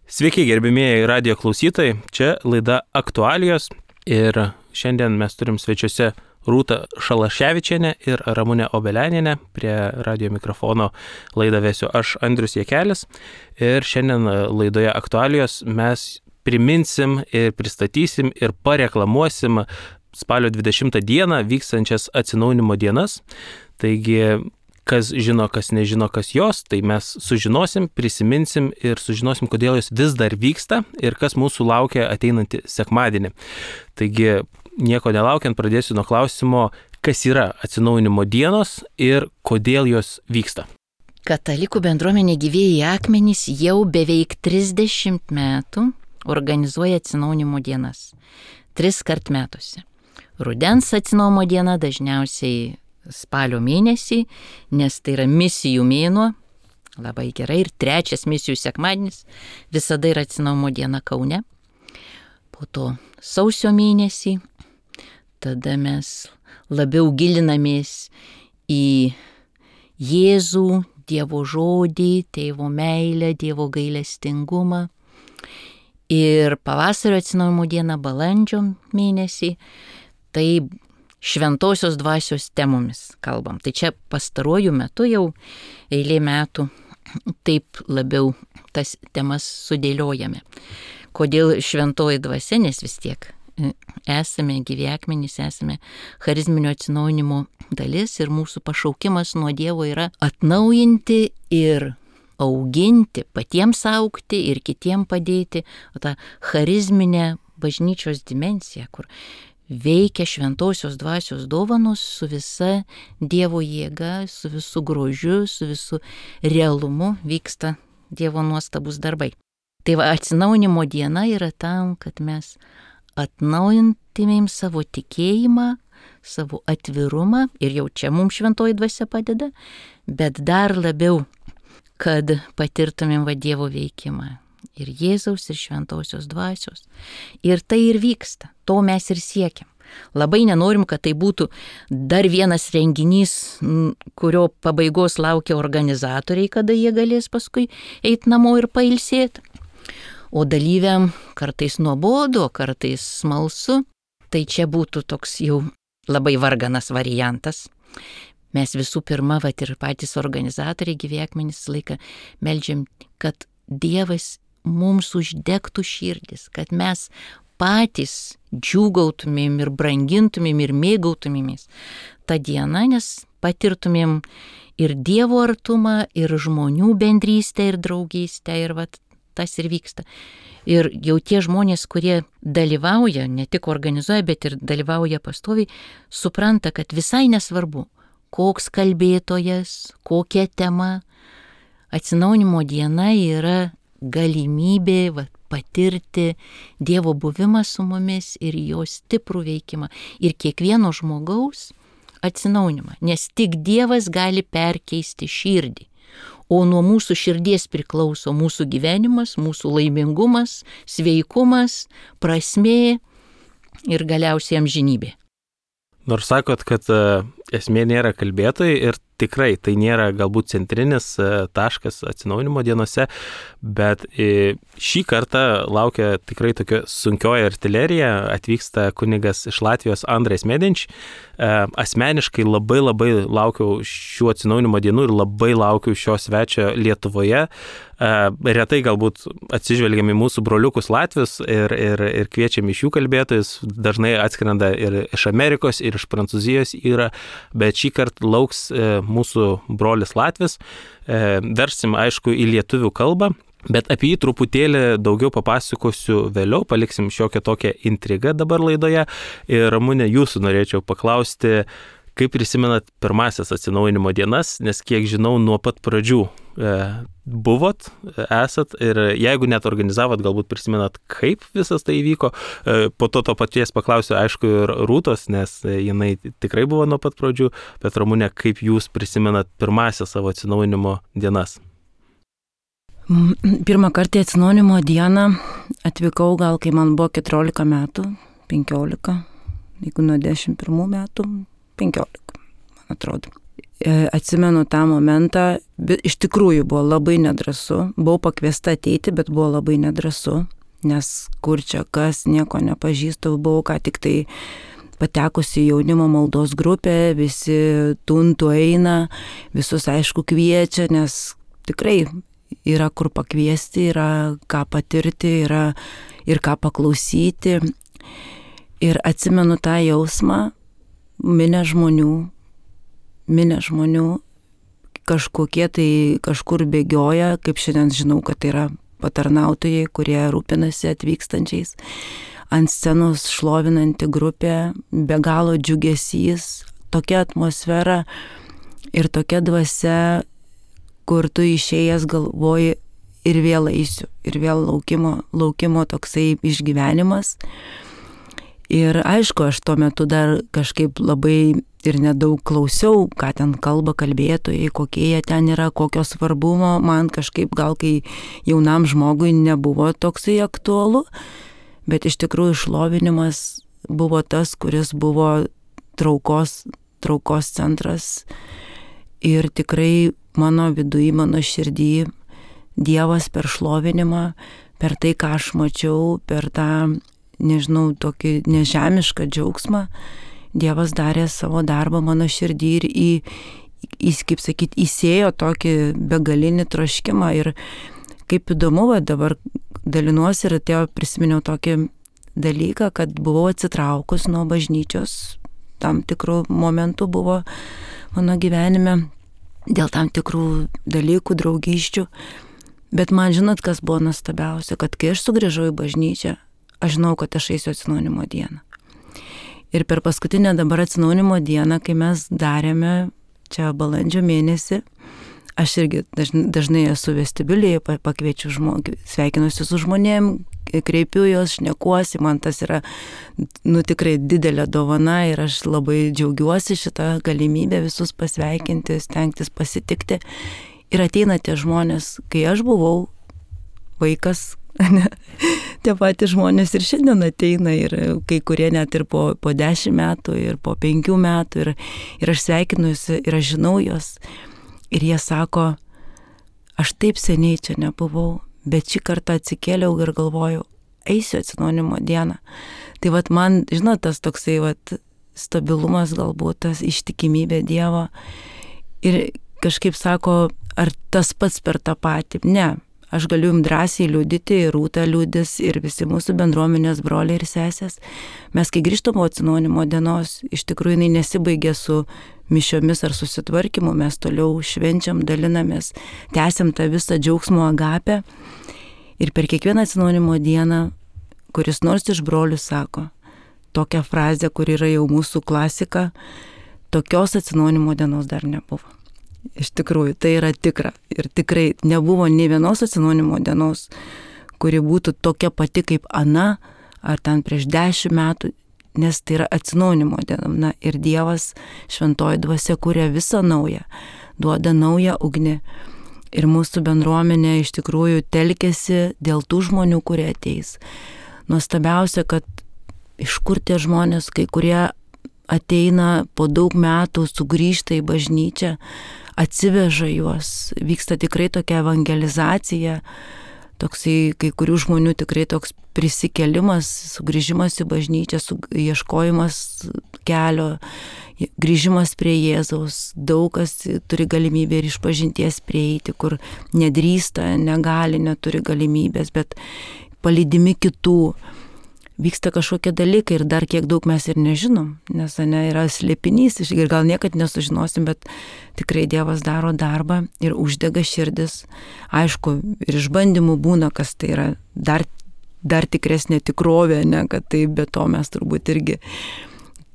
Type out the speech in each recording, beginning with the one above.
Sveiki, gerbimieji radio klausytojai, čia laida Aktualijos ir šiandien mes turim svečiuose Rūtą Šalaševičienę ir Ramunę Obelianienę. Prie radio mikrofono laidą vesiu aš, Andrius Jakelis, ir šiandien laidoje Aktualijos mes priminsim ir pristatysim ir pareklamuosim spalio 20 dieną vykstančias atsinaujinimo dienas. Taigi, kas žino, kas nežino, kas jos, tai mes sužinosim, prisiminsim ir sužinosim, kodėl jos vis dar vyksta ir kas mūsų laukia ateinantį sekmadienį. Taigi, nieko nelaukiant, pradėsiu nuo klausimo, kas yra atsinaujinimo dienos ir kodėl jos vyksta. Katalikų bendruomenė Gyvieji akmenys jau beveik 30 metų organizuoja atsinaujinimo dienas. 3 kart metuose. Rudens atsinaujinimo diena dažniausiai spalio mėnesį, nes tai yra misijų mėnuo, labai gerai, ir 3 misijų sekmadienis visada yra atsinaujinimo diena Kaune. Po to sausio mėnesį, tada mes labiau gilinamės į Jėzų, Dievo žodį, Tėvo meilę, Dievo gailestingumą. Ir pavasario atsinaujinimo diena balandžio mėnesį, tai šventosios dvasios temomis kalbam. Tai čia pastaruoju metu jau eilė metų taip labiau tas temas sudėliojame. Kodėl šventoji dvasia, nes vis tiek esame Gyvieji akmenys, esame charizminio atsinaujinimo dalis ir mūsų pašaukimas nuo Dievo yra atnaujinti ir auginti, patiems augti ir kitiem padėti. O tą charizminę bažnyčios dimensiją, kur veikia šventosios dvasios dovanos su visa Dievo jėga, su visu grožiu, su visu realumu vyksta Dievo nuostabus darbai. Tai va, atsinaujinimo diena yra tam, kad mes atnaujintumėm savo tikėjimą, savo atvirumą, ir jau čia mums šventoji dvasia padeda, bet dar labiau, kad patirtumėm va Dievo veikimą. Ir Jėzaus, ir šventosios dvasios. Ir tai ir vyksta. To mes ir siekiam. Labai nenorim, kad tai būtų dar vienas renginys, kurio pabaigos laukia organizatoriai, kada jie galės paskui eiti namo ir pailsėti. O dalyviam kartais nuobodu, kartais smalsu. Tai čia būtų toks jau labai varganas variantas. Mes visų pirma, vat ir patys organizatoriai Gyvieji akmenys laiką meldžiam, kad Dievas mums uždegtų širdis, kad mes patys džiūgautumėm ir brangintumėm ir mėgautumėmės tą dieną, nes patirtumėm ir Dievo artumą, ir žmonių bendrystę, ir draugystę, ir vat tas ir vyksta. Ir jau tie žmonės, kurie dalyvauja, ne tik organizuoja, bet ir dalyvauja pastoviai, supranta, kad visai nesvarbu, koks kalbėtojas, kokia tema, atsinaujinimo diena yra galimybė patirti Dievo buvimą su mumis ir jo stiprų veikimą ir kiekvieno žmogaus atsinaujinimą, nes tik Dievas gali perkeisti širdį, o nuo mūsų širdies priklauso mūsų gyvenimas, mūsų laimingumas, sveikumas, prasmė ir galiausiai amžinybė. Nors sakot, kad esmė nėra kalbėtojai ir tikrai tai nėra galbūt centrinis taškas atsinaujinimo dienose, bet šį kartą laukia tikrai tokia sunkioji artilerija, atvyksta kunigas iš Latvijos Andrejs Medinč. Asmeniškai labai laukiau šių atsinaujinimo dienų ir labai laukiau šio svečio Lietuvoje. Retai galbūt atsižvelgiam į mūsų broliukus Latvius ir kviečiam iš jų kalbėtojus, dažnai atskrenda ir iš Amerikos, ir iš Prancūzijos yra, bet šį kartą lauks mūsų brolis Latvis. Versim, aišku, į lietuvių kalbą, bet apie jį truputėlį daugiau papasakosiu vėliau, paliksim šiokią tokią intrigą dabar laidoje. Ir Ramune, jūsų norėčiau paklausti, kaip prisimenat pirmasias atsinaujinimo dienas, nes kiek žinau, nuo pat pradžių buvot, esat, ir jeigu net organizavot, galbūt prisimenat, kaip visas tai įvyko. Po to paties paklausiu, aišku, ir Rūtos, nes jinai tikrai buvo nuo pat pradžių, bet Ramune, kaip jūs prisimenat pirmasias savo atsinaujinimo dienas? Pirmą kartą atsinaujinimo dieną atvykau gal, kai man buvo 14 metų, 15, jeigu nuo 11 metų, 15, man atrodo. atsimenu tą momentą, iš tikrųjų buvo labai nedrąsu, buvau pakviesta ateiti, bet buvo labai nedrąsu, nes kur čia kas, nieko nepažįstu, buvau ką tik tai patekusi jaunimo maldos grupę, visi tuntų eina, visus aišku kviečia, nes tikrai yra kur pakviesti, yra ką patirti, yra ir ką paklausyti. Ir atsimenu tą jausmą, minę žmonių, kažkokie tai kažkur bėgioja, kaip šiandien žinau, kad tai yra patarnautojai, kurie rūpinasi atvykstančiais. Ant scenos šlovinanti grupė, be galo džiugesys, tokia atmosfera ir tokia dvasia, kur tu išėjęs galvoji ir vėl eisiu, ir vėl laukimo toksai išgyvenimas. Ir aišku, aš tuo metu dar kažkaip labai ir nedaug klausiau, ką ten kalba kalbėtojai, kokie jie ten yra, kokio svarbumo, man kažkaip gal kai jaunam žmogui nebuvo toksai aktualu, bet iš tikrųjų šlovinimas buvo tas, kuris buvo traukos centras ir tikrai mano viduje, mano širdį Dievas per šlovinimą, per tai, ką aš mačiau, per tą, nežinau, tokį nežemišką džiaugsmą, Dievas darė savo darbą mano širdį ir kaip sakyti, įsėjo tokį begalinį troškimą. Ir kaip įdomu, dabar dalinuosi ir prisiminiau tokį dalyką, kad buvau atsitraukus nuo bažnyčios, tam tikrų momentų buvo mano gyvenime, dėl tam tikrų dalykų, draugysčių. Bet man žinot, kas buvo nuostabiausia, kad kai aš sugrįžau į bažnyčią, aš žinau, kad aš eisiu atsinaujinimo dieną. Ir per paskutinę dabar atsinaujinimo dieną, kai mes darėme čia balandžio mėnesį, aš irgi dažnai esu vestibiulėje, pakviečiu sveikinuosi su žmonėm, kreipiu juos, šnekuosi, man tas yra tikrai didelė dovana ir aš labai džiaugiuosi šitą galimybę visus pasveikinti, stengtis pasitikti. Ir ateina tie žmonės, kai aš buvau vaikas, tie patys žmonės ir šiandien ateina ir kai kurie net ir po 10 metų ir po 5 metų ir aš sveikinuosi ir aš žinau juos ir jie sako, aš taip seniai čia nebuvau, bet šį kartą atsikėliau ir galvojau, eisiu atsinaujinimo dieną. Tai man, žinot, tas toksai stabilumas galbūt, tas ištikimybė Dievo ir kažkaip sako, ar tas pats per tą patį? Ne, aš galiu jums drąsiai liudyti, ir Rūta liudys, ir visi mūsų bendruomenės broliai ir sesės. Mes, kai grįžtam po atsinaujinimo dienos, iš tikrųjų jinai nesibaigė su mišiomis ar susitvarkymu, mes toliau švenčiam, dalinamės, tęsiam tą visą džiaugsmo agapę. Ir per kiekvieną atsinaujinimo dieną, kuris nors iš brolių sako, tokią frazę, kur yra jau mūsų klasika, tokios atsinaujinimo dienos dar nebuvo. Iš tikrųjų, tai yra tikra. Ir tikrai nebuvo nei vienos atsinaujinimo dienos, kuri būtų tokia pati kaip ana, ar ten prieš 10 metų, nes tai yra atsinaujinimo diena. Ir Dievas, šventoji dvasia, kuria visą naują, duoda naują ugnį. Ir mūsų bendruomenė iš tikrųjų telkėsi dėl tų žmonių, kurie ateis. Nuostabiausia, kad iš kur tie žmonės, kai kurie ateina po daug metų, sugrįžta į bažnyčią, atsiveža juos, vyksta tikrai tokia evangelizacija, toksai kai kurių žmonių tikrai toks prisikėlimas, sugrįžimas į bažnyčią, ieškojimas kelio, grįžimas prie Jėzaus. Daug kas turi galimybę ir išpažinties prieiti, kur nedrįsta, negali, neturi galimybės, bet palydimi kitų. Vyksta kažkokie dalykai ir dar kiek daug mes ir nežinom, nes yra slėpinys ir gal niekad nesužinosim, bet tikrai Dievas daro darbą ir uždega širdis. Aišku, ir išbandymų būna, kas tai yra dar tikresnė tikrovė, ne, kad tai be to mes turbūt irgi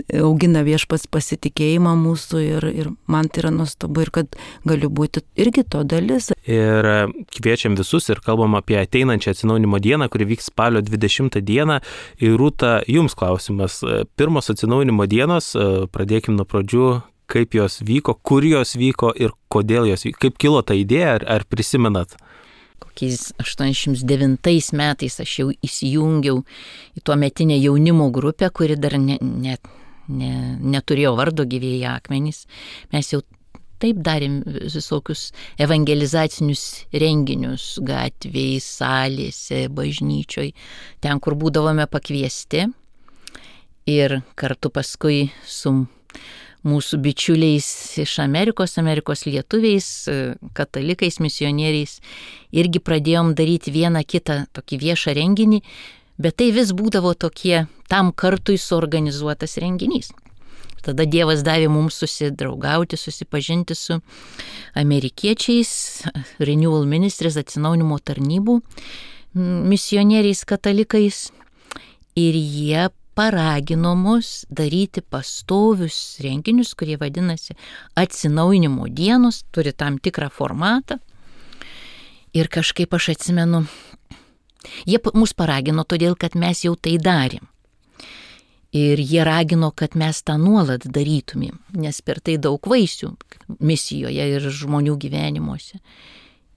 augina Viešpats pasitikėjimą mūsų ir man tai yra nuostabu ir kad galiu būti irgi to dalis. Ir kviečiam visus ir kalbam apie ateinančią atsinaujinimo dieną, kuri vyks spalio 20 dieną. Ir Rūta, jums klausimas. Pirmos atsinaujinimo dienos, pradėkim nuo pradžių, kaip jos vyko, kur jos vyko ir kodėl jos vyko. Kaip kilo ta idėja, ar prisimenat? Kokiais 89 metais aš jau įsijungiau į tuometinę jaunimo grupę, kuri dar neturėjo vardo Gyvieji akmenys. Mes jau taip darėm visokius evangelizacinius renginius gatvėje, salėse, bažnyčioj, ten, kur būdavome pakviesti. Ir kartu paskui su mūsų bičiuliais iš Amerikos lietuviais, katalikais, misionieriais, irgi pradėjom daryti vieną kitą tokį viešą renginį, bet tai vis būdavo tokie tam kartui suorganizuotas renginys. Tada Dievas davė mums susidraugauti, susipažinti su amerikiečiais, Renewal Ministries, atsinaujinimo tarnybų misionieriais katalikais, ir jie paragino mus daryti pastovius renginius, kurie vadinasi atsinaujinimo dienos, turi tam tikrą formatą. Ir kažkaip aš atsimenu, jie mus paragino todėl, kad mes jau tai darėm. Ir jie ragino, kad mes tą nuolat darytumėm, nes per tai daug vaisių misijoje ir žmonių gyvenimuose.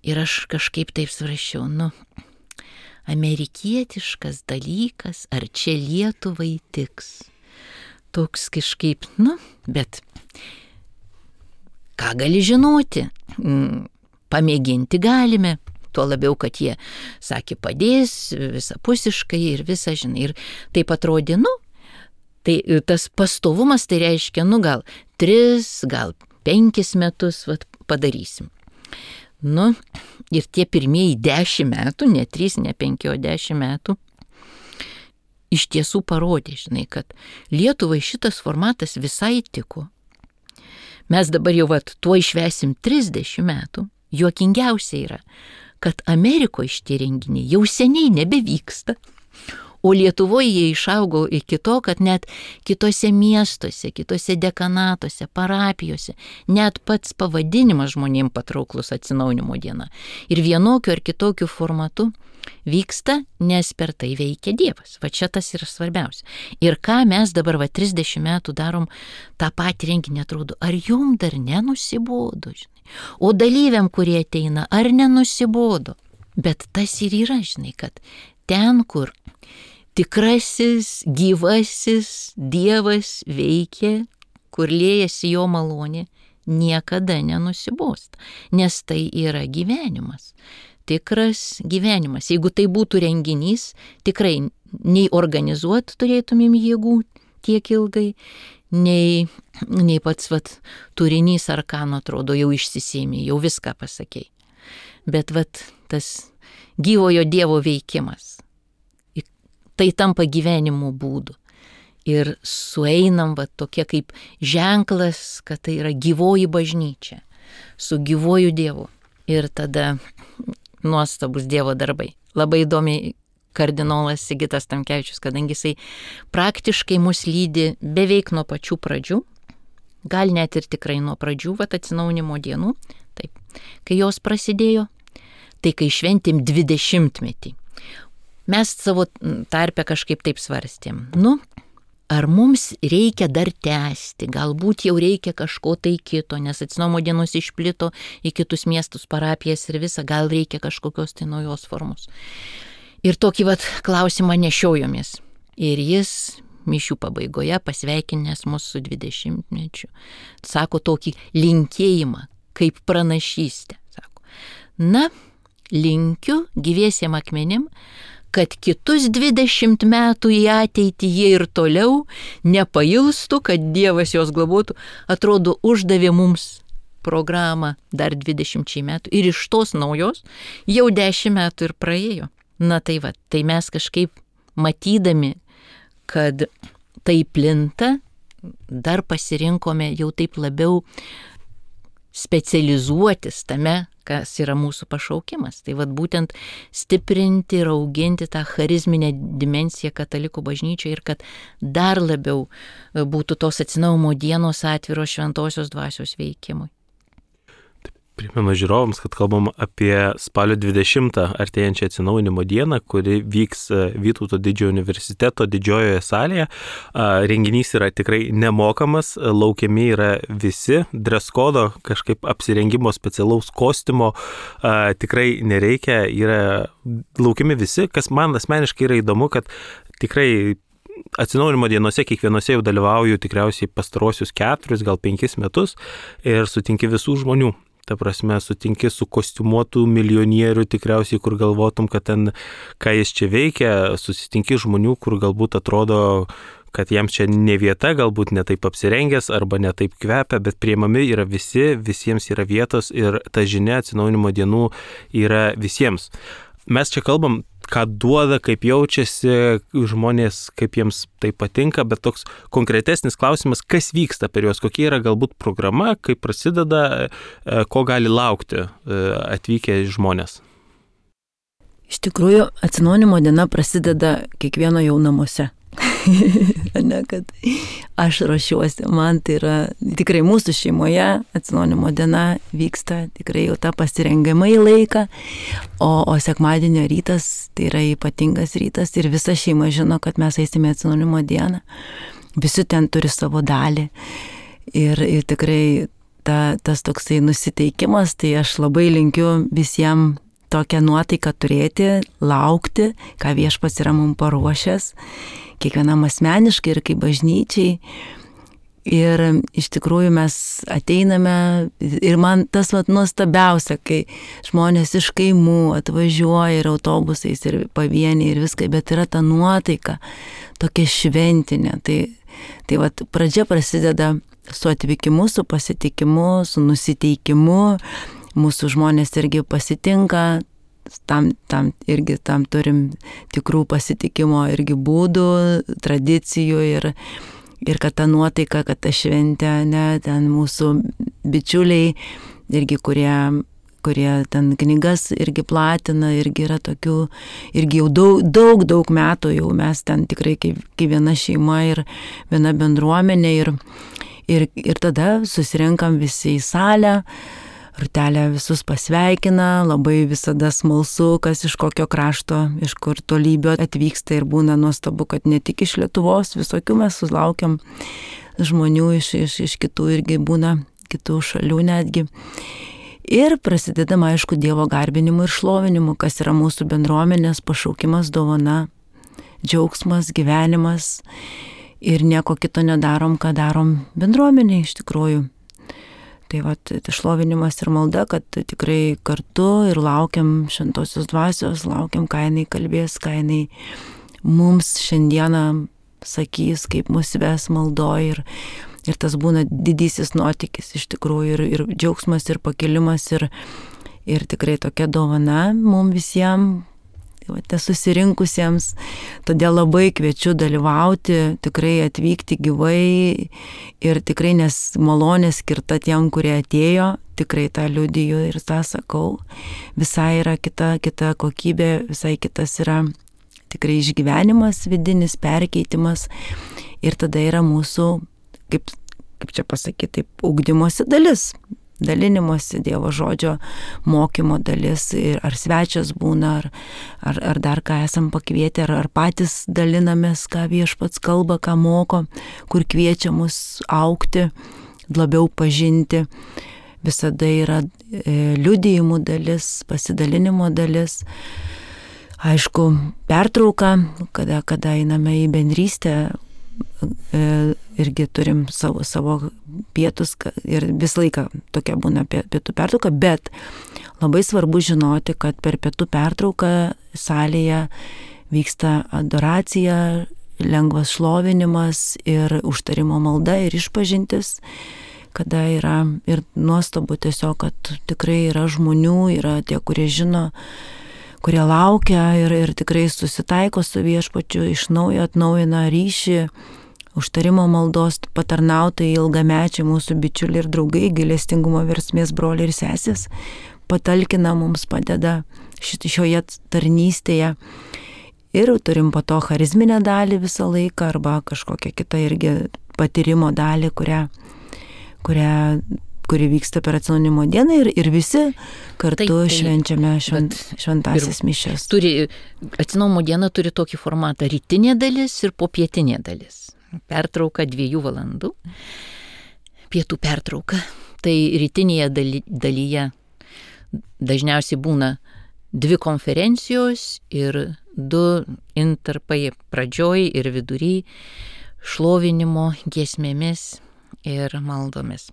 Ir aš kažkaip taip svarsčiau, amerikietiškas dalykas, ar čia Lietuvai tiks? Toks kažkaip, bet ką gali žinoti? Pamėginti galime. Tuo labiau, kad jie sakė, padės visapusiškai ir visą, ir taip atrodė, tai tas pastovumas tai reiškia, gal 3, gal 5 metus padarysim. Ir tie pirmieji 10 metų, ne 3, ne 5, o 10 metų, iš tiesų parodė, kad Lietuvai šitas formatas visai tiko. Mes dabar jau tuo išvesim 30 metų. Juokingiausia yra, kad Amerikoje šitie renginiai jau seniai nebevyksta. O Lietuvoje jie išaugo iki to, kad net kitose miestuose, kitose dekanatuose, parapijose, net pats pavadinimas žmonėms patrauklus atsinaujinimo diena. Ir vienokiu ar kitokiu formatu vyksta, nes per tai veikia Dievas. Čia tas yra svarbiausia. Ir ką mes dabar 30 metų darom tą patį renginį, atrodo, ar jum dar nenusibodo, O dalyviam, kurie ateina, ar nenusibodo. Bet tas ir yra, kad ten, kur tikrasis, gyvasis Dievas veikia, kur liejasi jo malonė, niekada nenusibosta, nes tai yra gyvenimas, tikras gyvenimas. Jeigu tai būtų renginys, tikrai nei organizuoti turėtumėm jėgų tiek ilgai, nei pats turinys ar ką, atrodo, jau išsisėmė, jau viską pasakei. Bet tas gyvojo Dievo veikimas, tai tampa gyvenimo būdu. Ir sueinam tokie kaip ženklas, kad tai yra gyvoji bažnyčia, su gyvoju Dievu. Ir tada nuostabus Dievo darbai. Labai įdomiai kardinolas Sigitas Tamkevičius, kadangi jisai praktiškai mus lydi beveik nuo pačių pradžių, gal net ir tikrai nuo pradžių, atsinaujinimo dienų, taip, kai jos prasidėjo, tai kai šventėm 20-metį. Mes savo tarpe kažkaip taip svarstėm, ar mums reikia dar tęsti, galbūt jau reikia kažko tai kito, nes atsinaujinimo dienos išplito į kitus miestus, parapijas ir visą, gal reikia kažkokios tai naujos formos. Ir tokį klausimą nešiojomės. Ir jis mišių pabaigoje pasveikinęs mus su 20-mečiu. Sako tokį linkėjimą, kaip pranašystę. Sako, linkiu gyviesiem akmenim, kad kitus 20 metų į ateitį jie ir toliau nepailstų, kad Dievas juos globotų. Atrodo, uždavė mums programą dar 20 metų ir iš tos naujos jau 10 metų ir praėjo. Tai mes kažkaip matydami, kad tai plinta, dar pasirinkome jau taip labiau specializuotis tame, kas yra mūsų pašaukimas. Tai būtent stiprinti ir auginti tą charizminę dimensiją katalikų bažnyčioje ir kad dar labiau būtų tos atsinaujinimo dienos atviros šventosios dvasios veikimui. Primenu žiūrovams, kad kalbam apie spalio 20 artėjančią atsinaujinimo dieną, kuri vyks Vytauto didžiojo universiteto didžiojoje salėje. Renginys yra tikrai nemokamas, laukiami yra visi, dress kodo, kažkaip apsirengimo specialaus kostiumo tikrai nereikia, yra laukiami visi. Kas man asmeniškai yra įdomu, kad tikrai atsinaujinimo dienose kiekvienose jau dalyvauju tikriausiai pastarosius 4, gal 5 metus ir sutinki visų žmonių. Ta prasme, sutinki su kostiumuotų milijonierių tikriausiai, kur galvotum, kad ten, ką jis čia veikia, susitinki žmonių, kur galbūt atrodo, kad jiems čia ne vieta, galbūt ne taip apsirengęs arba ne taip kvepia, bet priimami yra visi, visiems yra vietos ir ta žinia atsinaujinimo dienų yra visiems. Mes čia kalbam, ką duoda, kaip jaučiasi žmonės, kaip jiems tai patinka, bet toks konkretesnis klausimas, kas vyksta per juos, kokia yra galbūt programa, kaip prasideda, ko gali laukti atvykę žmonės. Iš tikrųjų, atsinaujinimo diena prasideda kiekvieno jau namuose. Ne, kad aš ruošiuosi, man tai yra tikrai mūsų šeimoje atsinaujinimo diena vyksta tikrai jau tą pasirengiamąjį laiką, o sekmadienio rytas tai yra ypatingas rytas ir visa šeima žino, kad mes eisime atsinaujinimo dieną. Visi ten turi savo dalį ir tikrai tas toksai nusiteikimas, tai aš labai linkiu visiems tokią nuotaiką turėti, laukti, ką Viešpats yra mums paruošęs, kiekvienam asmeniškai ir kaip bažnyčiai. Ir iš tikrųjų mes ateiname ir man tas nuostabiausia, kai žmonės iš kaimų atvažiuoja ir autobusais ir pavieniai ir viskai, bet yra ta nuotaika tokia šventinė. Tai pradžia prasideda su atvykimu, su pasitikimu, su nusiteikimu. Mūsų žmonės irgi pasitinka, tam turim tikrų pasitikimo irgi būdų, tradicijų ir kad ta nuotaika, kad ta šventė, ten mūsų bičiuliai irgi, kurie ten knygas irgi platina, irgi yra tokių, irgi jau daug metų jau mes ten tikrai kaip viena šeima ir viena bendruomenė ir tada susirinkam visi į salę. Rūtelė visus pasveikina, labai visada smalsu, kas iš kokio krašto, iš kur tolybio atvyksta ir būna nuostabu, kad ne tik iš Lietuvos, visokių mes sulaukiam žmonių iš kitų irgi būna, kitų šalių netgi. Ir prasidedama, aišku, Dievo garbinimu ir šlovinimu, kas yra mūsų bendruomenės pašaukimas, dovana, džiaugsmas, gyvenimas ir nieko kito nedarom, ką darom bendruomeniai iš tikrųjų. Tai šlovinimas ir malda, kad tikrai kartu ir laukiam šventosios dvasios, laukiam, ką jinai kalbės, ką jinai mums šiandieną sakys, kaip mus ves maldoj ir tas būna didysis nuotykis iš tikrųjų ir džiaugsmas ir pakilimas ir tikrai tokia dovana mums visiems. Susirinkusiems, todėl labai kviečiu dalyvauti, tikrai atvykti gyvai ir tikrai nes malonė skirta tiem, kurie atėjo, tikrai tą liudiju ir tą sakau, visai yra kita kokybė, visai kitas yra tikrai išgyvenimas, vidinis perkeitimas ir tada yra mūsų, kaip čia pasakyti, ugdymosi dalis. Dalinimosi Dievo žodžio mokymo dalis, ar svečias būna, ar dar ką esam pakvietę, ar patys dalinamės, ką Viešpats kalba, ką moko, kur kviečia mus augti, labiau pažinti. Visada yra liudijimų dalis, pasidalinimo dalis. Aišku, pertrauka, kada einame į bendrystę, irgi turim savo pietus ir visą laiką tokia būna pietų pertrauka, bet labai svarbu žinoti, kad per pietų pertrauką salėje vyksta adoracija, lengvas šlovinimas ir užtarimo malda ir išpažintis, kada yra ir nuostabu tiesiog, kad tikrai yra žmonių, yra tie, kurie žino, kurie laukia ir tikrai susitaiko su Viešpačiu, iš naujo atnaujina ryšį, užtarimo maldos patarnautojai, ilgamečiai mūsų bičiuliai ir draugai, gailestingumo versmės broliai ir sesės, patalkina mums, padeda šioje tarnystėje. Ir turim po to charizminę dalį visą laiką arba kažkokią kitą irgi patyrimo dalį, kuri vyksta per atsinaujinimo dieną ir visi kartu švenčiame šventąsias mišias. Atsinaujinimo diena turi tokį formatą: rytinė dalis ir popietinė dalis. Pertrauka 2 valandų, pietų pertrauka. Tai rytinėje dalyje dažniausiai būna 2 konferencijos ir 2 intarpai pradžioj ir vidury šlovinimo giesmėmis ir maldomis.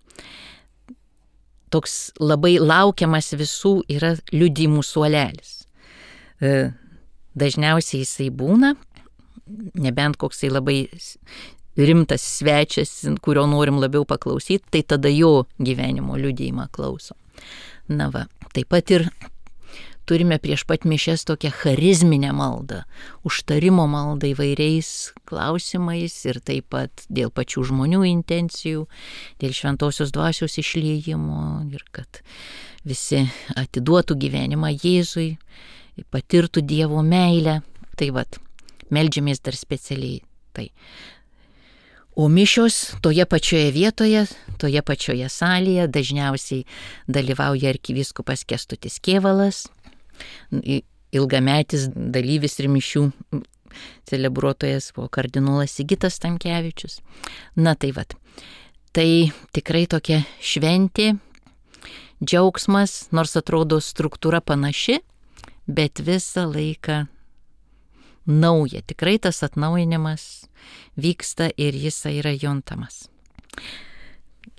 Toks labai laukiamas visų yra liudijimų suolelis. Dažniausiai jisai būna, nebent koksai labai rimtas svečias, kurio norim labiau paklausyti, tai tada jo gyvenimo liudijimą klausom. Na va, taip pat ir turime prieš pat mišias tokią charizminę maldą, užtarimo maldą įvairiais klausimais ir taip pat dėl pačių žmonių intencijų, dėl šventosios dvasios išliejimo ir kad visi atiduotų gyvenimą Jėzui, patirtų Dievo meilę. Tai vat, meldžiamės dar specialiai tai. O mišios toje pačioje vietoje, toje pačioje salėje dažniausiai dalyvauja arkivyskupas Kęstutis Kėvalas, ilgametis dalyvis ir mišių celebruotojas buvo kardinolas Sigitas Tamkevičius. Na tai vat, tai tikrai tokia šventė, džiaugsmas, nors atrodo struktūra panaši, bet visą laiką nauja. Tikrai tas atnaujinimas vyksta ir jis yra juntamas.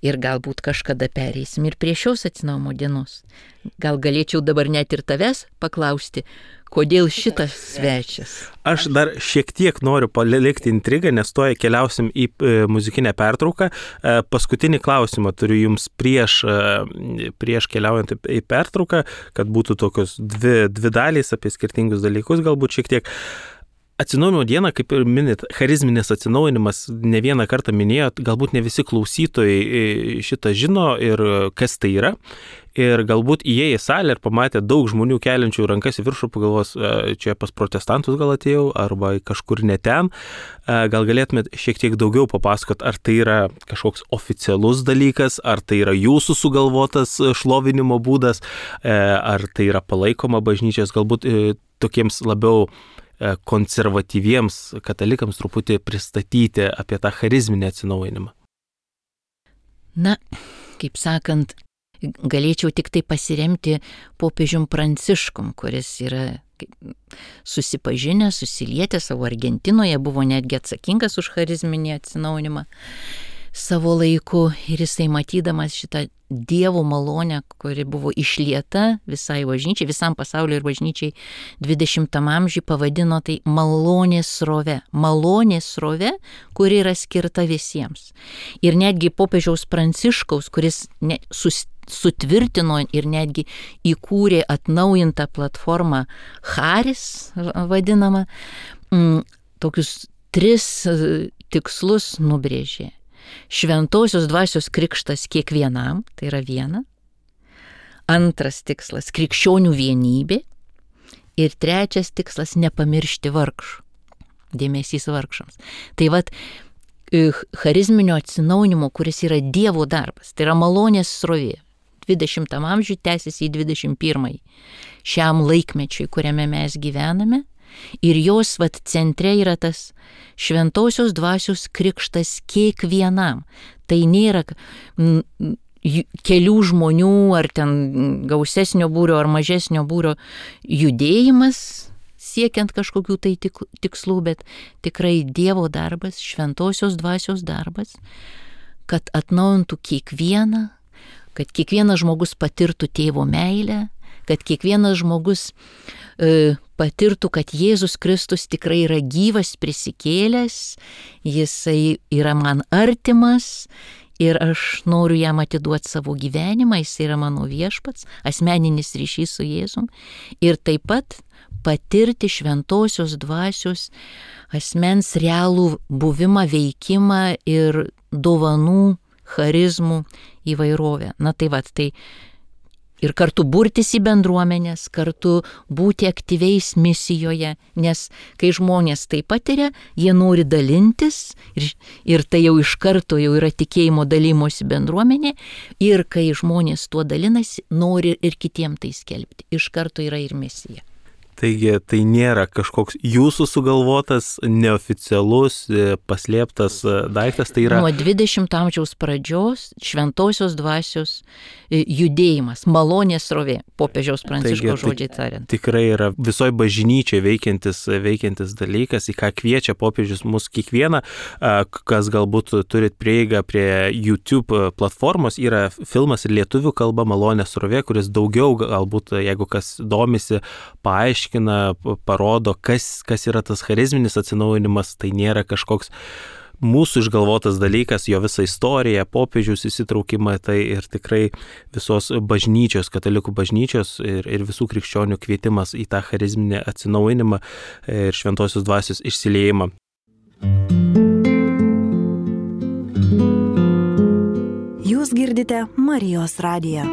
Ir galbūt kažkada pereisim ir prie šios atsinaujinimo dienos. Gal galėčiau dabar net ir tavęs paklausti, kodėl šitas svečias? Aš dar šiek tiek noriu palikti intrigą, nes tuoj keliausim į muzikinę pertrauką. Paskutinį klausimą turiu jums prieš keliaujant į pertrauką, kad būtų tokios dvi dalys apie skirtingus dalykus, galbūt šiek tiek. Atsinaujinimo diena, kaip ir minit, charizminis atsinaujinimas, ne vieną kartą minėjot, galbūt ne visi klausytojai šitą žino ir kas tai yra. Ir galbūt įėję į salę ir pamatę daug žmonių keliančių rankas į viršų, pagalvos, čia pas protestantus gal atėjau, arba kažkur ne ten. Gal galėtumėt šiek tiek daugiau papasakot, ar tai yra kažkoks oficialus dalykas, ar tai yra jūsų sugalvotas šlovinimo būdas, ar tai yra palaikoma bažnyčios, galbūt tokiems labiau konservatyviems katalikams truputį pristatyti apie tą charizminį atsinaujinimą. Na, kaip sakant, galėčiau tik tai pasiremti popiežium Pranciškum, kuris yra susipažinęs, susilietęs savo Argentinoje, buvo netgi atsakingas už charizminį atsinaujinimą savo laiku ir jisai matydamas šitą Dievo malonę, kuri buvo išlieta visai bažnyčiai, visam pasauliu ir bažnyčiai 20 amžiui, pavadino tai malonės srove. Malonės srove, kuri yra skirta visiems. Ir netgi popiežiaus Pranciškaus, kuris sutvirtino ir netgi įkūrė atnaujintą platformą Charis, vadinamą, tokius 3 tikslus nubrėžė. Šventosios dvasios krikštas kiekvienam, tai yra viena. Antras tikslas - krikščionių vienybė. Ir trečias tikslas - nepamiršti vargšų. Dėmesys vargšams. Tai vat, charizminio atsinaujinimo, kuris yra Dievo darbas, tai yra malonės srovė. 20 amžiui tęsiasi į 21. Šiam laikmečiui, kuriame mes gyvename. Ir jos centre yra tas šventosios dvasios krikštas kiekvienam. Tai nėra kelių žmonių ar ten gausesnio būrio ar mažesnio būrio judėjimas siekiant kažkokių tai tikslų, bet tikrai Dievo darbas, šventosios dvasios darbas, kad atnaujintų kiekvieną, kad kiekvienas žmogus patirtų tėvo meilę, kad kiekvienas žmogus patirtų, kad Jėzus Kristus tikrai yra gyvas, prisikėlęs, jisai yra man artimas ir aš noriu jam atiduoti savo gyvenimą, jis yra mano viešpats, asmeninis ryšys su Jėzum ir taip pat patirti šventosios dvasios asmens realų buvimą, veikimą ir dovanų, charizmų įvairovę. Na tai vat, tai ir kartu burtis į bendruomenės, kartu būti aktyviais misijoje, nes kai žmonės tai patiria, jie nori dalintis ir tai jau iš karto jau yra tikėjimo dalymosi bendruomenė ir kai žmonės tuo dalinasi, nori ir kitiem tai skelbti. Iš karto yra ir misija. Taigi tai nėra kažkoks jūsų sugalvotas, neoficialus, paslėptas daiktas, tai yra... Nuo 20 amžiaus pradžios šventosios dvasios judėjimas, malonės srovė, popiežiaus Pranciškaus žodžiai tariant. Tikrai yra visoje bažnyčioje veikiantis dalykas, į ką kviečia popiežius mus kiekvieną, kas galbūt turit prieigą prie YouTube platformos, yra filmas ir lietuvių kalba Malonės srovė, kuris daugiau galbūt, jeigu kas domisi, paaiškina, parodo, kas yra tas charizminis atsinaujinimas, tai nėra kažkoks mūsų išgalvotas dalykas, jo visą istoriją, popiežiaus įsitraukimą, tai ir tikrai visos bažnyčios, katalikų bažnyčios ir visų krikščionių kvietimas į tą charizminį atsinaujinimą ir šventosios dvasios išsiliejimą. Jūs girdite Marijos radiją.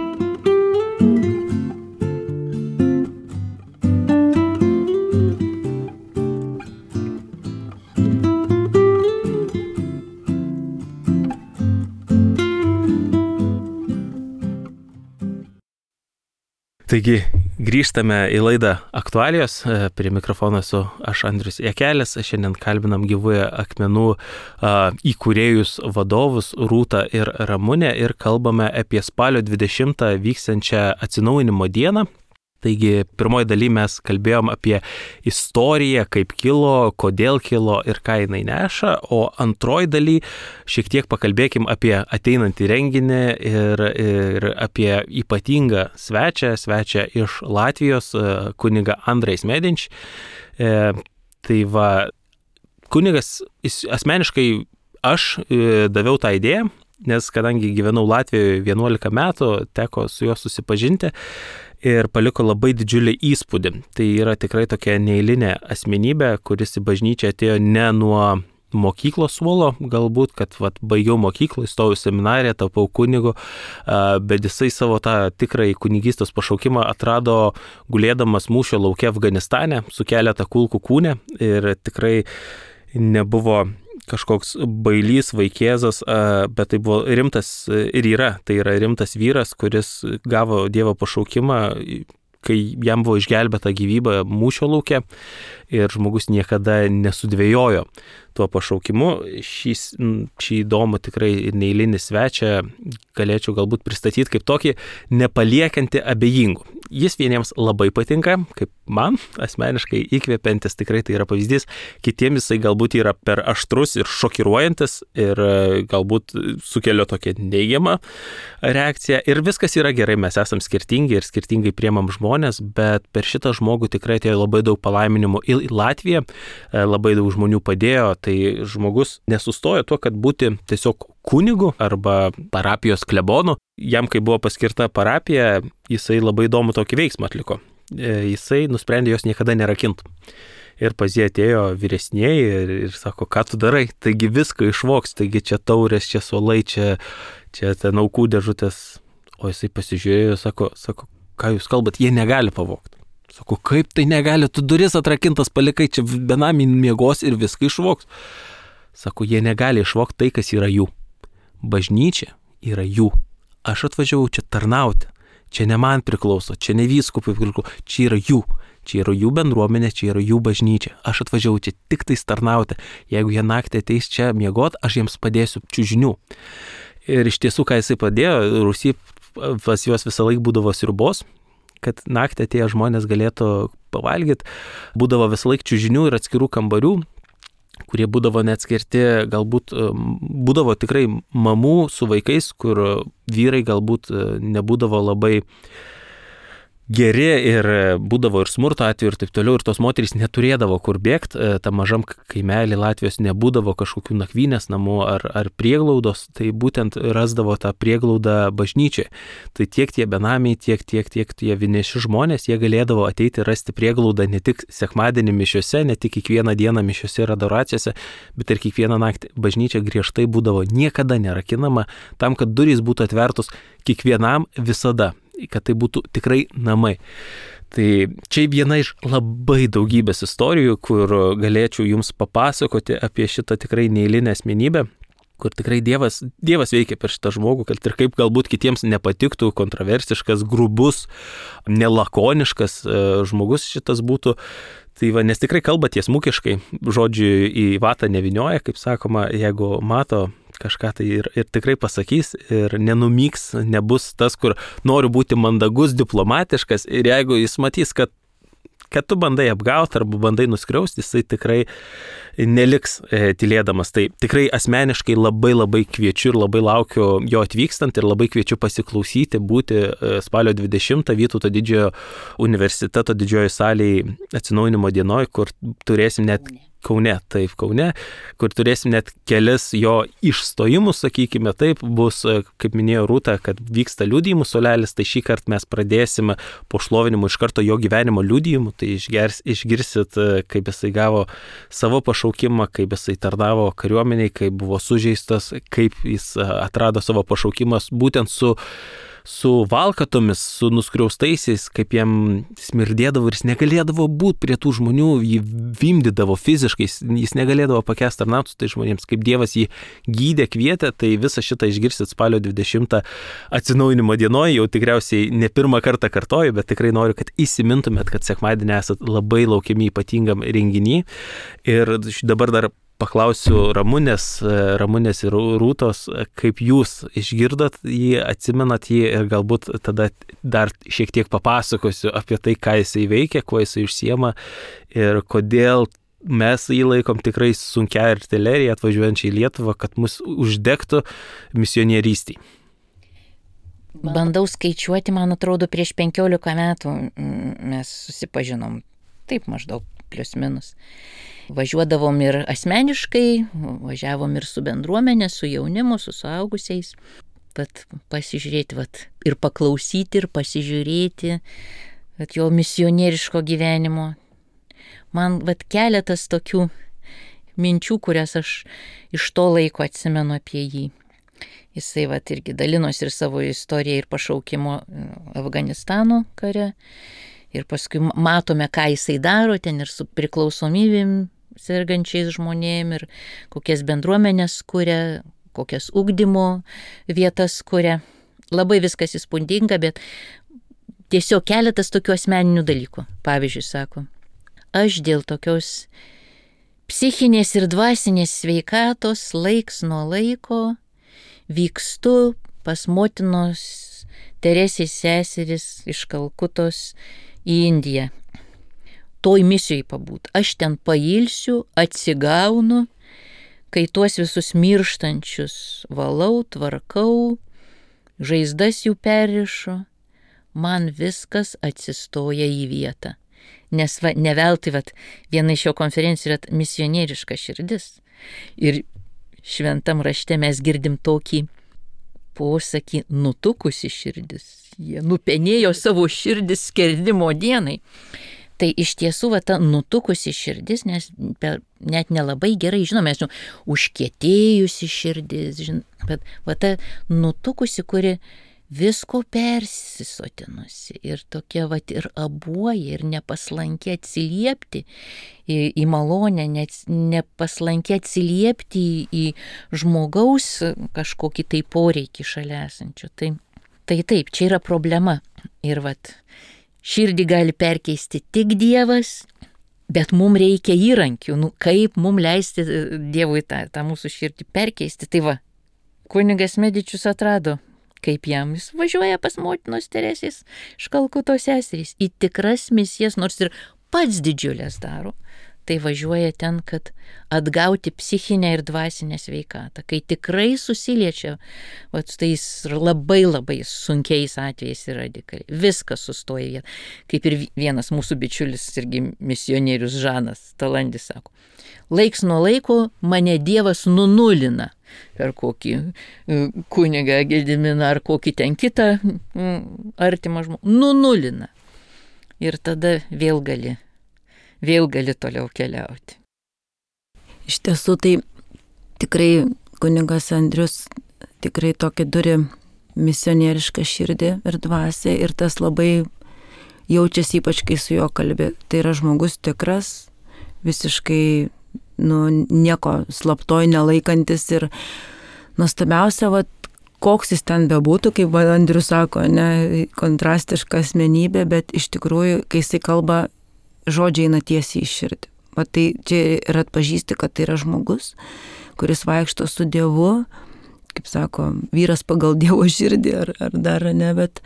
Taigi, grįžtame į laidą Aktualijos, prie mikrofono esu aš Andrius Jakelis, šiandien kalbinam Gyvųjų akmenų įkūrėjus vadovus Rūtą ir Ramunę ir kalbame apie spalio 20 vyksiančią atsinaujinimo dieną. Taigi, pirmoji daly mes kalbėjom apie istoriją, kaip kilo, kodėl kilo ir ką jinai neša, o antroji daly šiek tiek pakalbėkim apie ateinantį renginį ir apie ypatingą svečią iš Latvijos, kunigą Andrejs Medinč. Tai va, kunigas asmeniškai aš daviau tą idėją, nes kadangi gyvenau Latvijoje 11 metų, teko su juo susipažinti ir paliko labai didžiulį įspūdį. Tai yra tikrai tokia neeilinė asmenybė, kuris į bažnyčią atėjo ne nuo mokyklos suolo, galbūt, kad baigiau mokyklą, įstojau į seminariją, tapau kunigu, bet jisai savo tą tikrąjį kunigystės pašaukimą atrado gulėdamas mūšio lauke Afganistane su keletą kulkų kūne ir tikrai nebuvo kažkoks bailys, vaikėzas, bet tai buvo rimtas ir tai yra rimtas vyras, kuris gavo Dievo pašaukimą, kai jam buvo išgelbėta gyvybė mūšio lauke ir žmogus niekada nesudvėjojo tuo pašaukimu. Šį įdomų tikrai neeilinį svečią galėčiau galbūt pristatyti kaip tokį nepaliekantį abejingų. Jis vieniems labai patinka, kaip man asmeniškai įkvepiantis, tikrai tai yra pavyzdys, kitiems jisai galbūt yra per aštrus ir šokiruojantis ir galbūt sukelia tokią neigiamą reakciją ir viskas yra gerai, mes esam skirtingi ir skirtingai priemam žmonės, bet per šitą žmogų tikrai atėjo labai daug palaiminimų į Latviją, labai daug žmonių padėjo, tai žmogus nesustojo tuo, kad būti tiesiog kunigu arba parapijos klebonu. Jam, kai buvo paskirta parapija, jisai labai įdomų tokį veiksmą atliko. Jisai nusprendė jos niekada nerakinti. Ir pas jį atėjo vyresnieji ir sako, ką tu darai? Taigi viską išvoks, taigi čia taurės, čia suolai, čia ten aukų dėžutės. O jisai pasižiūrėjo, sako, ką jūs kalbat, jie negali pavogti. Sako, kaip tai negali, tu duris atrakintas palikai, čia benami miegos ir viską išvoks. Sako, jie negali išvokti tai, kas yra jų. Bažnyčia yra jų. Aš atvažiavau čia tarnauti. Čia ne man priklauso, čia ne vyskupui priklauso, čia yra jų. Čia yra jų bendruomenė, čia yra jų bažnyčia. Aš atvažiavau čia tik tais tarnauti. Jeigu jie naktį ateis čia miegot, aš jiems padėsiu čiužinių. Ir iš tiesų, ką jisai padėjo, Rusy pas juos visą laiką būdavo sriubos, kad naktį atėję žmonės galėtų pavalgyti. Būdavo visą laiką čiužinių ir atskirų kambarių, kurie būdavo neatskirti, galbūt būdavo tikrai mamų su vaikais, kur vyrai galbūt nebūdavo labai geri ir būdavo ir smurto atveju ir taip toliau, ir tos moterys neturėdavo kur bėgti, tam mažam kaimelį Latvijos nebūdavo kažkokių nakvynės namų ar prieglaudos, tai būtent rasdavo tą prieglaudą bažnyčiai. Tai tiek tie benamiai, tiek tie vieniši žmonės, jie galėdavo ateiti rasti prieglaudą ne tik sekmadienį mišiuose, ne tik kiekvieną dieną mišiuose ir adoracijose, bet ir kiekvieną naktį. Bažnyčia griežtai būdavo niekada nerakinama, tam, kad durys būtų atvertos kiekvienam visada, kad tai būtų tikrai namai. Tai čia viena iš labai daugybės istorijų, kur galėčiau jums papasakoti apie šitą tikrai neeilinę asmenybę. kur tikrai Dievas veikia per šitą žmogų, kad ir kaip galbūt kitiems nepatiktų, kontroversiškas, grubus, nelakoniškas žmogus šitas būtų. Tai va, nes tikrai kalba tiesmukiškai, žodžiu į vatą nevinioja, kaip sakoma, jeigu mato kažką tai ir tikrai pasakys ir nenumyks, nebus tas, kur noriu būti mandagus, diplomatiškas ir jeigu jis matys, kad tu bandai apgauti arba bandai nuskriausti, jisai tikrai neliks tylėdamas. Tai tikrai asmeniškai labai kviečiu ir labai laukiu jo atvykstant ir labai kviečiu pasiklausyti, būti spalio 20 Vytauto Didžiojo universiteto didžiojo salėje atsinaujinimo dienoj, kur turėsim net Kaune, kur turėsim net kelis jo išstojimus, sakykime, taip, bus, kaip minėjo Rūta, kad vyksta liudijimų suolelis, tai šį kartą mes pradėsime po šlovinimo iš karto jo gyvenimo liudijimų, tai išgirsit, kaip jisai gavo savo pašaukimą, kaip jisai tarnavo kariuomeniai, kaip buvo sužeistas, kaip jis atrado savo pašaukimas būtent su valkatomis, su nuskriaustaisiais, kaip jam smirdėdavo ir jis negalėdavo būti prie tų žmonių, jį vimdydavo fiziškai, jis negalėdavo pakęsti tarnauti su tai žmonėms, kaip Dievas jį gydė, kvietė, tai visą šitą išgirsit spalio 20 atsinaujinimo dienoje, jau tikriausiai ne pirmą kartą kartoju, bet tikrai noriu, kad įsimintumėt, kad sekmadienį esat labai laukiami ypatingam renginį ir dabar dar paklausiu Ramunės ir Rūtos, kaip jūs išgirdot jį, atsimenat jį ir galbūt tada dar šiek tiek papasakosiu apie tai, ką jisai veikia, kuo jisai užsiema ir kodėl mes jį laikom tikrai sunkia artilerija atvažiuojančiai į Lietuvą, kad mus uždegtų misionierystėj. Bandau skaičiuoti, man atrodo, prieš 15 metų mes susipažinom, taip maždaug plius minus. Važiuodavom ir asmeniškai, važiavom ir su bendruomenė, su jaunimu, su suaugusiais. Pasižiūrėti, ir paklausyti, ir pasižiūrėti jo misionieriško gyvenimo. Man keletas tokių minčių, kurias aš iš to laiko atsimenu apie jį. Jisai irgi dalinosi ir savo istoriją ir pašaukimo Afganistano kare. Ir paskui matome, ką jisai daro ten ir su priklausomybėm sergančiais žmonėm ir kokias bendruomenės kuria, kokias ugdymo vietas kuria. Labai viskas įspūdinga, bet tiesiog keletas tokių asmeninių dalykų. Pavyzdžiui, sako, aš dėl tokios psichinės ir dvasinės sveikatos laiks nuo laiko vykstu pas motinos Teresės seseris iš Kalkutos į Indiją. Toj misijai pabūt. Aš ten pailsiu, atsigaunu, kai tuos visus mirštančius valau, tvarkau, žaizdas jų perrišu, man viskas atsistoja į vietą. Nes ne veltui viena iš jo konferencijų yra misionieriška širdis. Ir šventam rašte mes girdim tokį posakį nutukusi širdis. Jie nupenėjo savo širdis skerdimo dienai. Tai iš tiesų ta nutukusi širdis, nes net nelabai gerai žinome, užkietėjusi širdis, bet ta nutukusi, kuri visko persisotinusi ir tokia ir abuoja ir nepaslanki atsiliepti į malonę, nepaslanki atsiliepti į žmogaus kažkokį tai poreikį šalia esančio. Tai taip, čia yra problema. Ir širdį gali perkeisti tik Dievas, bet mums reikia įrankių, kaip mums leisti Dievui tą mūsų širdį perkeisti. Tai kunigas Medičius atrado, kaip jam jis važiuoja pas motinos Teresės iš Kalkutos seserys į tikras misijas, nors ir pats didžiulės daro. Tai važiuoja ten, kad atgauti psichinę ir dvasinę sveikatą, kai tikrai susiliečia tais labai sunkiais atvejais ir radikaliai. Viskas sustoja. Kaip ir vienas mūsų bičiulis, irgi misionierius Žanas Talandis sako, laiks nuo laiko mane Dievas nunulina per kokį kunigą Gediminą ar kokį ten kitą artimą žmogų. Nunulina. Ir tada vėl gali toliau keliauti. Iš tiesų, tai tikrai kunigas Andrius tikrai tokį turi misionierišką širdį ir dvasią ir tas labai jaučiasi ypač, kai su juo kalbi. Tai yra žmogus tikras, visiškai nieko slaptoj nelaikantis ir nuostabiausia, vat, koks jis ten bebūtų, kaip Andrius sako, ne, kontrastiška asmenybė, bet iš tikrųjų, kai jisai kalba, žodžiai eina tiesiai į širdį. Vat tai čia ir atpažįsti, kad tai yra žmogus, kuris vaikšto su Dievu, kaip sako, vyras pagal Dievo širdį ar dar ne, bet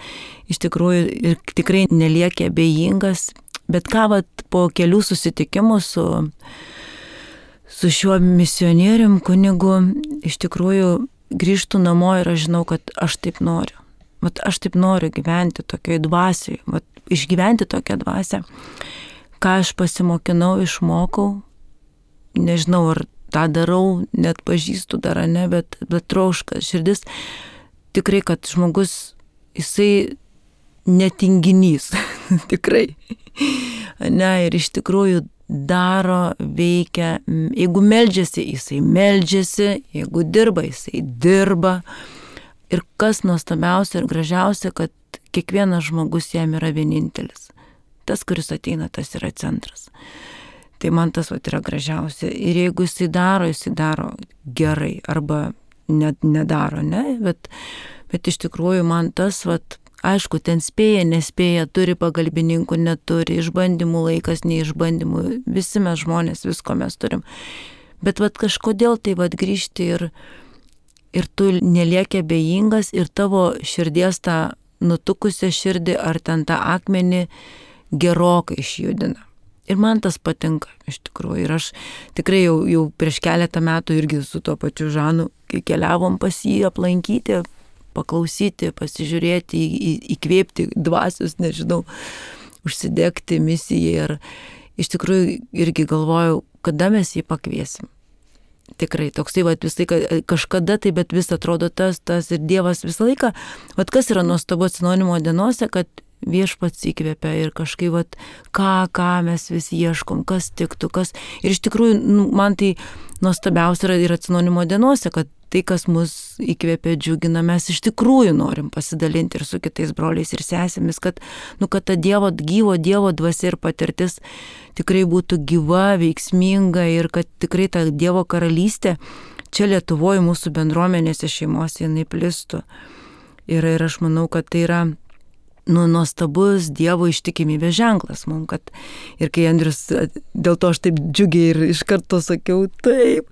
iš tikrųjų ir tikrai nelieka abejingas, bet ką vat, po kelių susitikimų su šiuo misionierium kunigu, iš tikrųjų grįžtu namo ir aš žinau, kad aš taip noriu. Vat aš taip noriu gyventi tokioj dvasiai, vat išgyventi tokią dvasią, ką aš pasimokinau, išmokau, nežinau, ar tą darau, net pažįstu dar, ne, bet troška širdis tikrai, kad žmogus, jisai netinginys, tikrai. Ne, ir iš tikrųjų daro, veikia, jeigu meldžiasi, jisai meldžiasi, jeigu dirba, jisai dirba. Ir kas nuostabiausia ir gražiausia, kad kiekvienas žmogus jam yra vienintelis. Tas, kuris ateina, tas yra centras. Tai man tas vat yra gražiausia. Ir jeigu jisai daro gerai arba nedaro, ne? Bet iš tikrųjų man tas vat, aišku, ten spėja, nespėja, turi pagalbininkų, neturi, išbandymų laikas, neišbandymų, visi mes žmonės, visko mes turim. Bet vat kažkodėl tai vat grįžti ir tu nelieki abejingas ir tavo širdies tą nutukusią širdį ar ten tą akmenį gerokai išjudina. Ir man tas patinka, iš tikrųjų. Ir aš tikrai jau prieš keletą metų irgi su tuo pačiu Žanu, kai keliavom pas jį aplankyti, paklausyti, pasižiūrėti, įkvėpti dvasius, nežinau, užsidegti misijai. Ir iš tikrųjų irgi galvojau, kada mes jį pakviesim. Tikrai, toksai, vat, visai kažkada tai, bet vis atrodo tas ir Dievas visą laiką. Vat kas yra nuostabu atsinaujinimo dienose, kad Viešpats įkvėpia ir kažkaip, vat, ką mes vis ieškom, kas tiktų, kas. Ir iš tikrųjų, man tai nuostabiausia yra ir atsinaujinimo dienose, kad tai, kas mus įkvėpia, džiugina, mes iš tikrųjų norim pasidalinti ir su kitais broliais ir sesėmis, kad ta gyvo Dievo dvasia ir patirtis tikrai būtų gyva, veiksminga ir kad tikrai ta Dievo karalystė čia Lietuvoje mūsų bendruomenėse, šeimose jinai plistų. Ir aš manau, kad tai yra nuostabus Dievo ištikimybės ženklas mums, kad ir kai Andrius, dėl to aš taip džiugiai ir iš karto sakiau taip,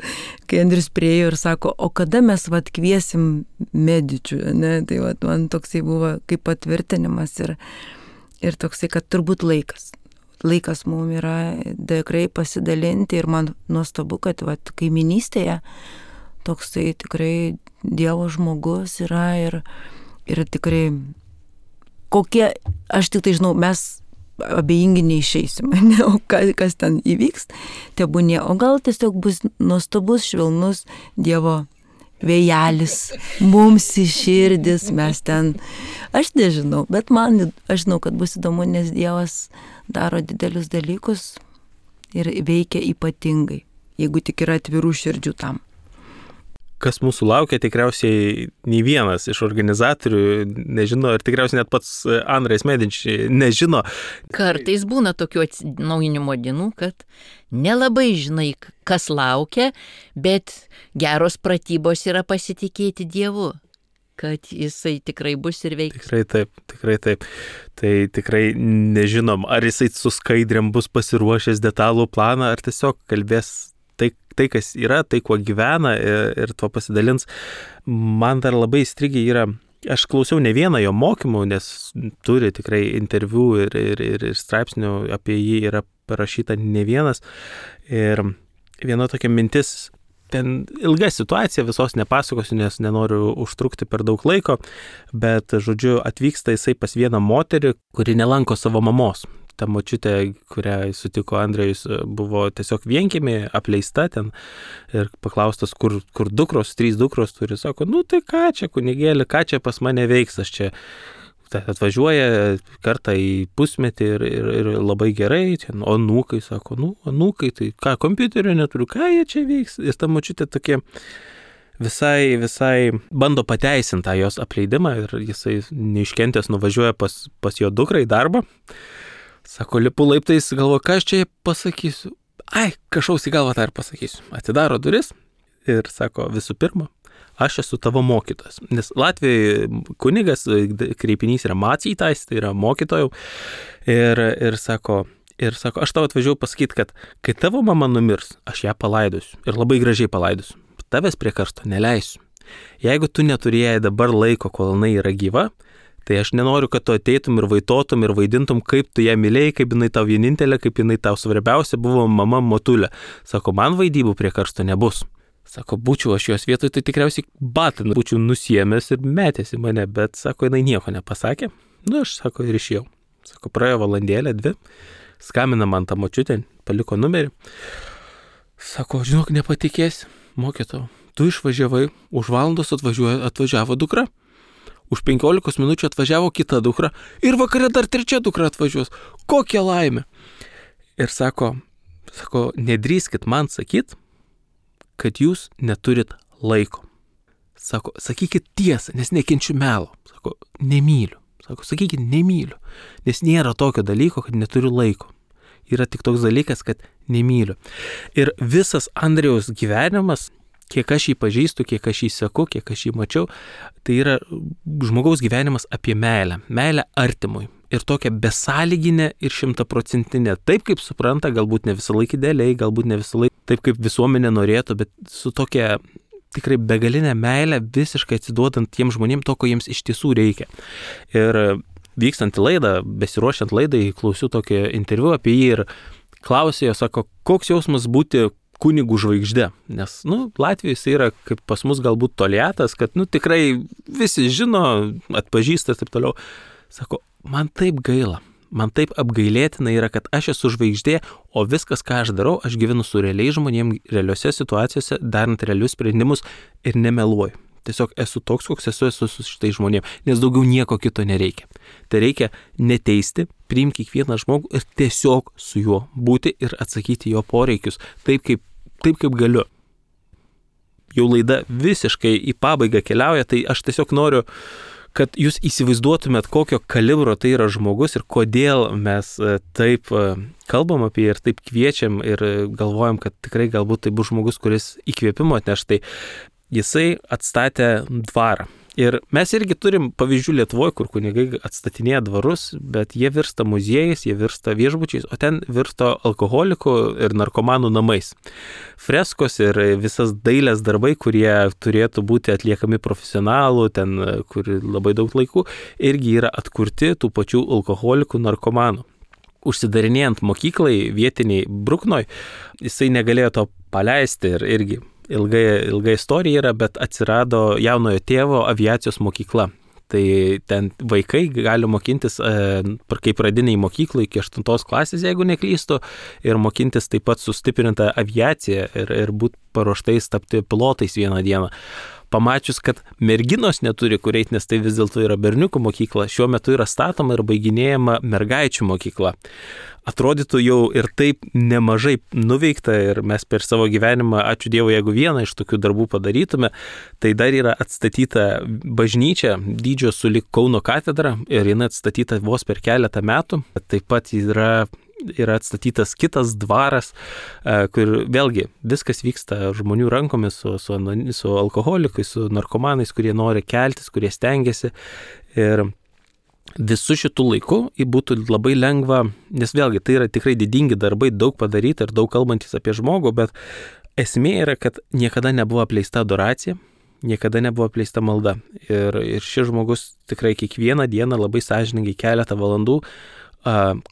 kai Andrius priejo ir sako, o kada mes vat kviesim medičių, ne, tai vat man toksai buvo kaip patvirtinimas ir toksai, kad turbūt laikas mums yra tikrai pasidalinti ir man nuostabu, kad vat kaiminystėje toksai tikrai Dievo žmogus yra ir tikrai kokie, aš tik tai žinau, mes abejingi neišeisim, ne, o kas ten įvyks, tebūnie, o gal tiesiog bus nuostabus, švelnus Dievo vėjelis, mums į širdis, mes ten, aš nežinau, bet aš žinau, kad bus įdomu, nes Dievas daro didelius dalykus ir veikia ypatingai, jeigu tik yra atvirų širdžių tam. Kas mūsų laukia, tikriausiai nei vienas iš organizatorių nežino ir tikriausiai net pats Andrejus Medič nežino. Kartais būna tokių atsinaujinimo dienų, kad nelabai žinai, kas laukia, bet geros pratybos yra pasitikėti Dievu, kad jisai tikrai bus ir veiks. Tikrai taip. Tai tikrai nežinom, ar jisai su skaidrėm bus pasiruošęs detalų planą, ar tiesiog kalbės tai, kas yra, tai, kuo gyvena ir tuo pasidalins. Man dar labai įstrigę yra, aš klausiau ne vieną jo mokymų, nes turi tikrai interviu ir straipsnių apie jį yra parašyta ne vienas. Ir viena tokia mintis, ten ilga situacija, visos nepasakosiu, nes nenoriu užtrukti per daug laiko, bet, žodžiu, atvyksta jisai pas vieną moterį, kuri nelanko savo mamos. Ta močiutė, kurią sutiko Andrejus, buvo tiesiog vienkiemė, apleista ten ir paklaustas, kur dukros, 3 dukros turi, sako, tai ką čia, kunigėlį, ką čia pas mane veiks, aš čia atvažiuoja kartą į pusmetį ir labai gerai, ten, o anūkai, sako, anūkai, tai ką, kompiuterio neturiu, ką jie čia veiks, ir ta močiutė tokie visai bando pateisinti tą jos apleidimą ir jisai neiškentęs nuvažiuoja pas jo dukrą į darbą. Sako, lipu laiptais, galvoju, ką aš čia pasakysiu. Kažkaus į galvą tą ir pasakysiu. Atidaro duris ir sako, visų pirma, aš esu tavo mokytojas. Nes Latvijoje kunigas, kreipinys yra macytais, tai yra mokytojų. Ir sako, aš tau atvažiavau pasakyti, kad kai tavo mama numirs, aš ją palaidosiu. Ir labai gražiai palaidosiu. Tavęs prie karsto neleisiu. Jeigu tu neturėjai dabar laiko, kol jinai yra gyva, tai aš nenoriu, kad tu ateitum ir vaitotum ir vaidintum, kaip tu ją mylėjai, kaip jinai tau vienintelė, kaip jinai tau svarbiausia buvo mama motulė. Sako, man vaidybų prie karsto nebus. Sako, būčiau aš jos vietoj, tai tikriausiai batiną būčiau nusiėmęs ir metęs į mane, bet, sako, jinai nieko nepasakė. Aš, sako, ir išėjau. Sako, praėjo valandėlę, 2, skambina man tą močiutę, paliko numerį. Sako, žinok, nepatikėsi, mokytojau, tu išvažiavai, už valandos atvažiavo dukra, už 15 minučių atvažiavo kita dukra ir vakare dar 3 dukra atvažiuos. Kokia laimė. Ir sako, nedrįskit man sakyt, kad jūs neturit laiko. Sako, sakykit tiesą, nes nekenčiu melo. Sako, nemyliu. Sako, sakykit, nemyliu. Nes nėra tokio dalyko, kad neturiu laiko. Yra tik toks dalykas, kad nemyliu. Ir visas Andriaus gyvenimas, kiek aš jį pažįstu, kiek aš jį seku, kiek aš jį mačiau, tai yra žmogaus gyvenimas apie meilę. Meilę artimui. Ir tokia besąlyginė ir 100%. Taip, kaip supranta, galbūt ne visą laiką idealiai, galbūt ne visą laiką taip, kaip visuomenė norėtų, bet su tokia tikrai begalinė meilė, visiškai atsiduodant tiem žmonėm to, ko jiems iš tiesų reikia. Ir vykstant į laidą, besiruošiant laidai, klausiu tokį interviu apie jį ir klausė jo, sako, koks jausmas būti kunigų žvaigždė. Nes, Latvijoje jis yra kaip pas mus galbūt toliatas, kad, tikrai visi žino, atpažįsta ir taip toliau. Sako, man taip gaila, man taip apgailėtina yra, kad aš esu žvaigždė, o viskas, ką aš darau, aš gyvenu su realiais žmonėms, realiuose situacijose, darant realius sprendimus ir nemeluoju. Tiesiog esu toks, koks esu su šitai žmonėms, nes daugiau nieko kito nereikia. Tai reikia neteisti, priimti kiekvieną žmogų ir tiesiog su juo būti ir atsakyti jo poreikius, taip kaip galiu. Jau laida visiškai į pabaigą keliauja, tai aš tiesiog noriu, kad jūs įsivaizduotumėt, kokio kalibro tai yra žmogus ir kodėl mes taip kalbam apie jį ir taip kviečiam ir galvojam, kad tikrai galbūt tai bus žmogus, kuris įkvėpimo atneš. Tai jisai atstatė dvarą. Ir mes irgi turim pavyzdžių Lietuvoje, kur kunigai atstatinėja dvarus, bet jie virsta muziejais, jie virsta viešbučiais, o ten virsta alkoholikų ir narkomanų namais. Freskos ir visas dailės darbai, kurie turėtų būti atliekami profesionalų, ten, kur labai daug laikų, irgi yra atkurti tų pačių alkoholikų narkomanų. Užsidarinėjant mokyklai vietiniai Bruknoj, jisai negalėjo to paleisti ir irgi ilga istorija yra, bet atsirado jaunojo tėvo aviacijos mokykla. Tai ten vaikai gali mokintis kaip pradiniai mokyklai iki 8 klasės, jeigu neklystu, ir mokintis taip pat sustiprinta aviacija ir būti paruoštais tapti pilotais vieną dieną. Pamačius, kad merginos neturi kur eiti, nes tai vis dėlto yra berniukų mokykla, šiuo metu yra statoma ir baiginėjama mergaičių mokykla. Atrodytų jau ir taip nemažai nuveikta ir mes per savo gyvenimą, ačiū Dievui, jeigu vieną iš tokių darbų padarytume, tai dar yra atstatyta bažnyčia dydžio sulig Kauno katedra ir jinai atstatyta vos per keletą metų. Taip pat yra atstatytas kitas dvaras, kur vėlgi viskas vyksta žmonių rankomis su alkoholikais, su narkomanais, kurie nori keltis, kurie stengiasi. Ir visų šitų laikų būtų labai lengva, nes vėlgi tai yra tikrai didingi darbai, daug padaryti ir daug kalbantis apie žmogų, bet esmė yra, kad niekada nebuvo apleista adoracija, niekada nebuvo apleista malda. Ir šis žmogus tikrai kiekvieną dieną labai sąžiningai keletą valandų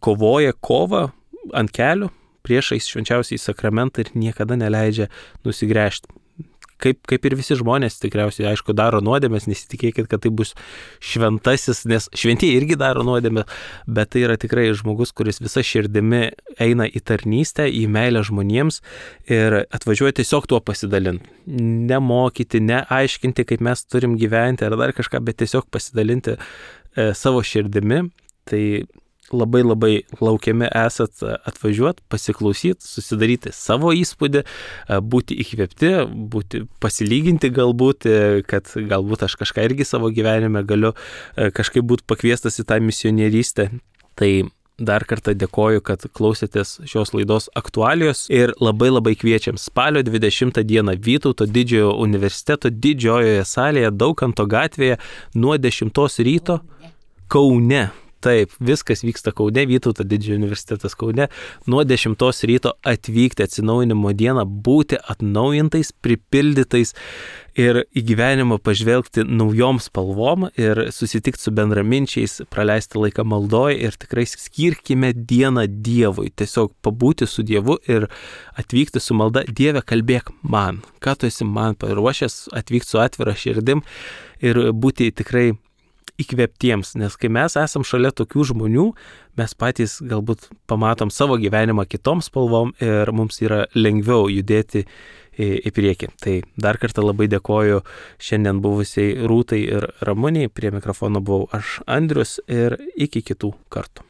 kovoja kovą ant kelių priešais švenčiausiai sakramentą ir niekada neleidžia nusigręžti. Kaip ir visi žmonės tikriausiai, aišku, daro nuodėmės, nesitikėkit, kad tai bus šventasis, nes šventieji irgi daro nuodėmės, bet tai yra tikrai žmogus, kuris visa širdimi eina į tarnystę, į meilę žmonėms ir atvažiuoja tiesiog tuo pasidalinti. Nemokyti, neaiškinti, kaip mes turim gyventi ar dar kažką, bet tiesiog pasidalinti savo širdimi. Tai labai laukiami esat atvažiuoti, pasiklausyti, susidaryti savo įspūdį, būti įkvėpti, pasilyginti galbūt, kad galbūt aš kažką irgi savo gyvenime galiu kažkaip būti pakviestas į tą misionierystę. Tai dar kartą dėkoju, kad klausėtės šios laidos aktualijos ir labai kviečiam spalio 20 dieną Vytauto didžiojo universiteto didžiojoje salėje Daukanto gatvėje nuo 10 ryto Kaune. Taip, viskas vyksta Kaune, Vytauto didžiojo universitetas Kaune, nuo 10 ryto atvykti atsinaujinimo dieną, būti atnaujintais, pripildytais ir į gyvenimą pažvelgti naujom spalvom ir susitikti su bendraminčiais, praleisti laiką maldoje ir tikrai skirkime dieną Dievui, tiesiog pabūti su Dievu ir atvykti su malda. Dieve, kalbėk man, ką tu esi man paruošęs, atvykti su atvira širdim ir būti tikrai įkvėptiems, nes kai mes esam šalia tokių žmonių, mes patys galbūt pamatom savo gyvenimą kitom spalvom ir mums yra lengviau judėti į priekį. Tai dar kartą labai dėkoju šiandien buvusiai Rūtai ir Ramuniai, prie mikrofono buvau aš Andrius ir iki kitų kartų.